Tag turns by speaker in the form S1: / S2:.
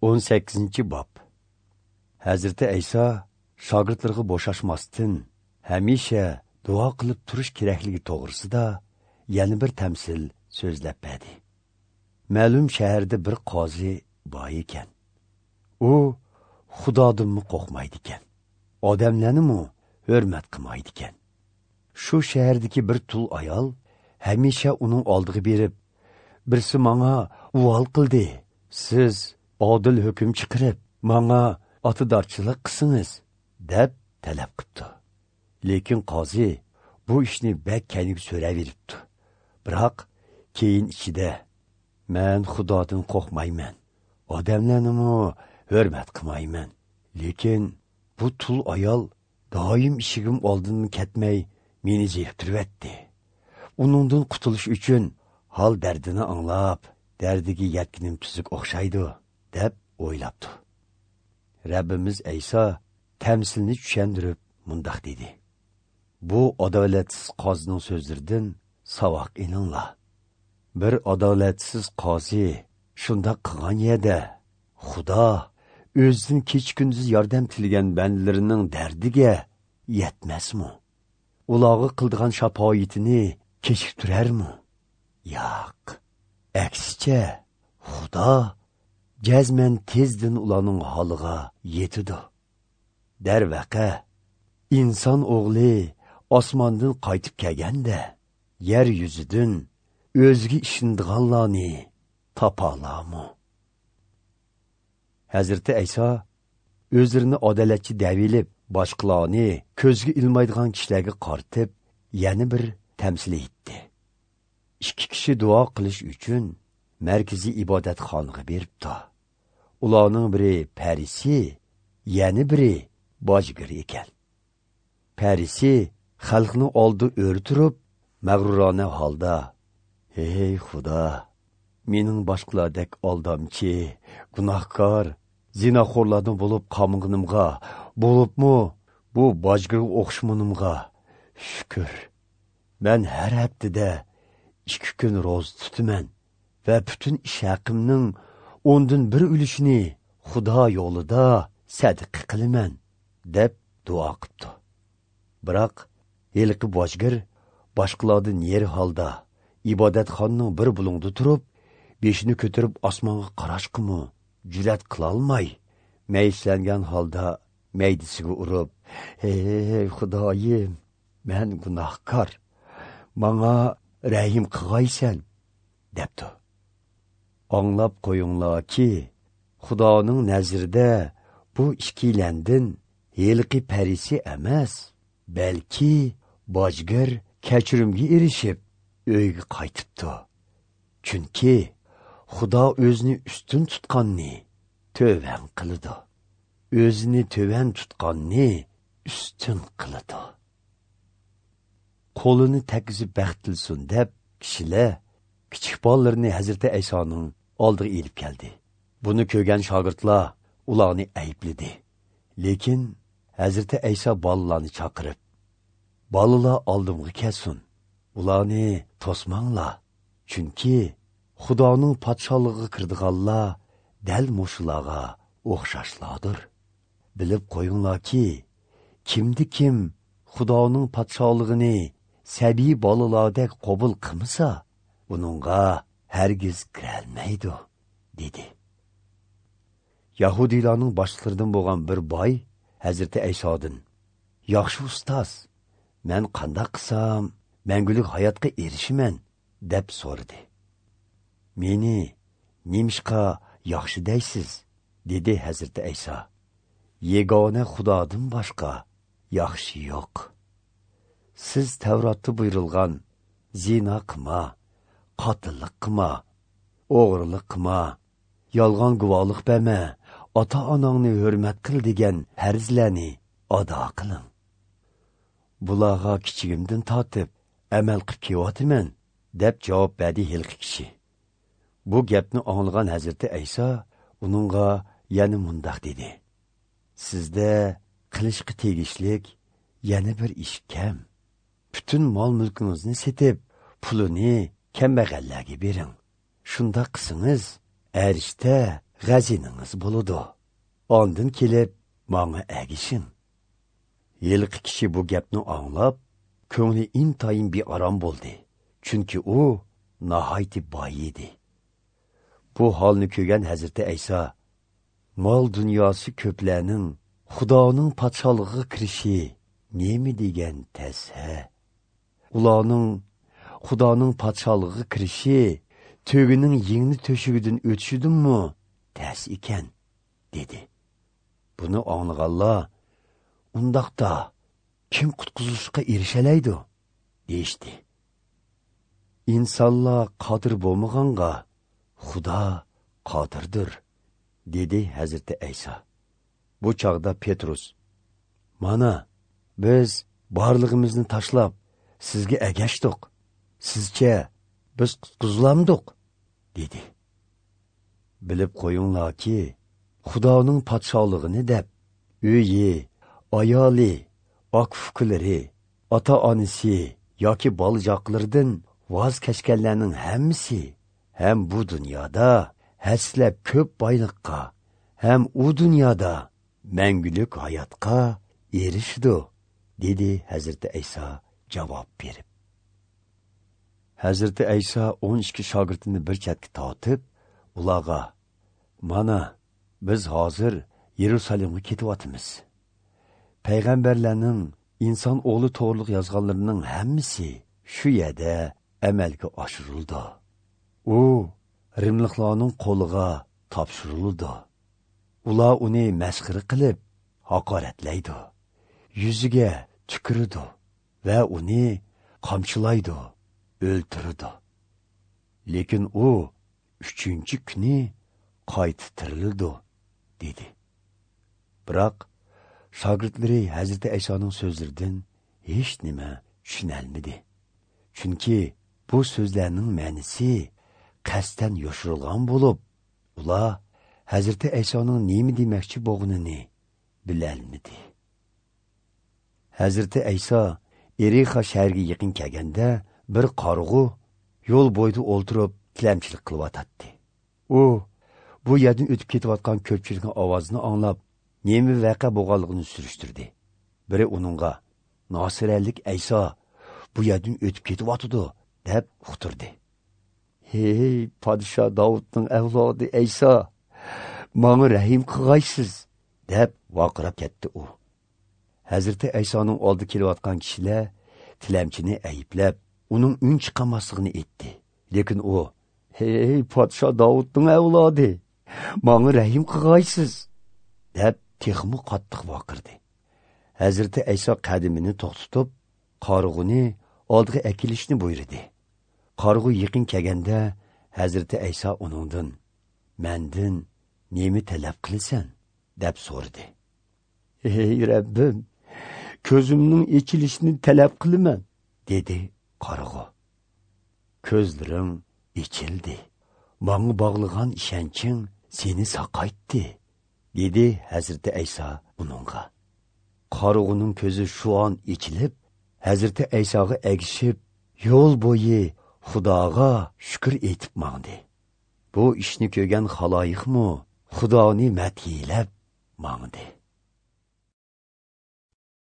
S1: 18 bob. Hazrati Ayso shogirdlarga bo'shashmasdan hamisha duo qilib turish kerakligi to'g'risida yana bir tamsil so'zlab berdi. Ma'lum shaharda bir qozi bor ekan. U Xudodanmi qo'rqmaydi ekan, odamlarnimi hurmat qilmaydi ekan. Shu shahardagi bir tul ayol hamisha uning oldiga berib, birsi menga uvol qildi, siz odil hukm chiqarib, menga otidorchilik qilsangiz, deb talab qildi. Lekin qozi bu ishni bak kayniga so'raveribdi. Biroq keyin ichida, men Xudodan qo'rqmayman, odamlarnimi hurmat qilmayman. Lekin bu tul ayol doim ishigim oldindan ketmay meni zeriktiryapti. Uningdan qutulish uchun hol dardini anglab, dardiga yetkinim tuzuk o'xshaydi, deb o'ylabdi. Rabbimiz Ayso tamsilni tushundirib mundoq dedi: Bu adolatsiz qozining so'zlaridan savoq ilinglar. Bir adolatsiz qozi shundoq qilgan yerda Xudo o'zidan kech kunduz yordam tilagan bandalarining dardiga yetmasmi? Ularga qildigan shafoyatini kechiktirarmi? Yo'q. Aksicha, Xudo jazman tezdan ularning holiga yetidi. Darvaqa, inson o'g'li osmondan qaytib kelganda yer yuzidan o'ziga ishonadiganlarni topolami? Hazrati Ayso o'zlarini adolatchi davilib, boshqalarni ko'zga ilmaydigan kishilarga qartib, yana bir tamsil etdi. Ikki kishi duo qilish uchun markaziy ibodatxonaga beribdi. Ularning biri parisi, yana biri bojgir ekan. Parisi xalqning oldi o'rtirib, mag'rurona holda: "Ey Xudo, mening boshqalardek aldamchi, gunohkor, zinaxo'rlardan bo'lib qolmaganimga, bo'libmi bu bojgirga o'xshamanimga shukr. Men har haftada 2 kun ro'za tutaman va butun ish haqimning 1/10 ulushini Xudo yo'lida sadaqa qilaman", deb duo qildi. Biroq heliqi bojgir boshqalardan yer holda ibodatxonaning bir bulungda turib, beshini ko'tarib osmonga qarashqimi jur'at qilolmay, mayislangan holda maydisiga urib, "Ey Xudoyim, men gunohkor, menga rahim qilg'aysan", debdi. Anglab qo'yinglarki, Xudoning nazarida bu ikkilandin heliqi parisi emas, balki bojgir kechirimga erishib uyga qaytibdi. Chunki Xudo o'zini ustun tutqanni tövan qiladi, o'zini tövan tutqanni ustun qiladi. Qo'lini tekizib baxt tilsin deb kishilar kichik bolalarini Hazrati Aysoning oldiga elib keldi. Buni ko'rgan shogirdlar ularni aybladi. Lekin Hazrati Ayso bolalarni chaqirib, "Bolalar oldimga kelsin, ularni to'smanglar, chunki Xudoning podsholig'iga kirdiganlar dal mushularga o'xshashlardir. Bilib qo'yinglarki, kimdi kim Xudoning podsholig'ini sabiy bolalardek qabul qilmasa, buningga hargiz kirolmaydi", dedi. Yahudiylarning boshliqlaridan bo'lgan bir boy Hazrati Aysodan: "Yaxshi ustoz, men qanday qilsam mangulik hayotga erishaman?" deb so'radi. "Meni nemishqa yaxshi deysiz?" dedi Hazrati Ayso. "Yegona Xudodan boshqa yaxshi yo'q. Siz Tavrotda buyurilgan zina qilma, qotillik qilma, o'g'irlik qilma, yolg'on guvohlik berma, ota-onangni hurmat qil degan farzlarni ado qiling. Bularga kichigimdan tortib amal qilib kelyapman", deb javob berdi hilqi kishi. Bu gapni anglagan Hazrati Ayso uningga yana mundoq dedi: "Sizda qilishga tegishlik yana bir ish kam. Butun mol-mulkingizni setib, pulini kambag'allarga bering. Shunda qilsangiz, arishda g'aziningiz bo'ladi. Ondan kelib manga agishing. Yilqi kishi bu gapni anglab, ko'ngli intayin bearom bo'ldi. Chunki u nihoyatda boy edi. Bu holni ko'rgan Hazrati Ayso, mol dunyosi ko'plarning Xudoning podsholig'iga kirishi nima degan tasa? Ularning Xudoning podsholig'iga kirishi tügining yengni to'shigidan o'tishidinmi tas ekan, dedi. Buni anglaganlar, undaqda kim qutqizilishga erishalaydi, deyishdi. Insonlar qodir bo'lmaganga Xudo qodirdir, dedi Hazrati Ayso. Bu chog'da Petrus, mana biz borlig'imizni tashlab sizga agashdik. Sizcha biz qutqizilamdiq, dedi. Bilib qo'yinglarki, Xudoning podsholig'ini deb uyi, ayoli, aka-ukalari, ota-onasi yoki bolajoqlaridan voz kechganlarning hammasi ham bu dunyoda haslab ko'p boyliqqa, ham u dunyoda mangulik hayotga erishdi, dedi Hazrati Ayso javob berib. Hazrati Ayso 12 shogirdini bir chetga tortib, ularga: "Mana biz hozir Yerusalimga ketyapmiz. Payg'ambarlarning inson o'g'li to'g'riliq yozganlarining hammasi shu yerda amalga oshirildi. U rimliklarning qo'liga topshirildi. Ular uni masxara qilib haqoratlaydi, yuziga tukirdi va uni qamchilaydi, o'ltirdi. Lekin u 3-kuni qayta tirildi", dedi. Biroq shogirdlari Hazrati Aysoning so'zlaridan hech nima tushunolmadi. Chunki bu so'zlarning ma'nosi qasddan yoshirilgan bo'lib, ular Hazrati Aysoning nima demoqchi bo'lganini bilolmadi. Hazrati Ayso Erixa shahriga yaqin kelganda bir qorg'u yo'l bo'yida o'ltirib tilamchilik qilyotdi. U bu yerdan o'tib ketayotgan ko'pchilikning ovozini anglab, nima voqea bo'lganligini surishtirdi. Biri uningga: "Nasiralik Ayso bu yerdan o'tib ketyotdi", deb uqtirdi. "Hey, podsho Davudning avlodi Ayso, manga rahim qilg'aysiz", deb vaqirab ketdi u. Hazrati Aysoning oldi kelayotgan kishilar tilamchini ayblab, uning un chiqarmasligini aytdi. Lekin u: "Hey, podsho Davudning avlodi, manga rahim qilg'aysiz", deb texmi qattiq vaqirdi. Hazrati Ayso qadimini to'xtatib, qorg'uni oldiga akilishni buyurdi. Qorg'u yaqin kelganda Hazrati Ayso uningdan: "Mendan nima talab qilasan?" deb so'radi. "Ey Rabbim, ko'zimning ochilishini talab qilaman", dedi qorg'u. "Ko'zlaring ochildi. Manga bog'lagan ishonching seni saqaytdi", dedi Hazrati Ayso uningga. Qorg'uning ko'zi shu on ochilib, Hazrati Aysoga agishib, yo'l bo'yi Xudoga shukr etib mangdi. Bu ishni ko'rgan xaloyiqmi Xudoni madhiyalab mangdi.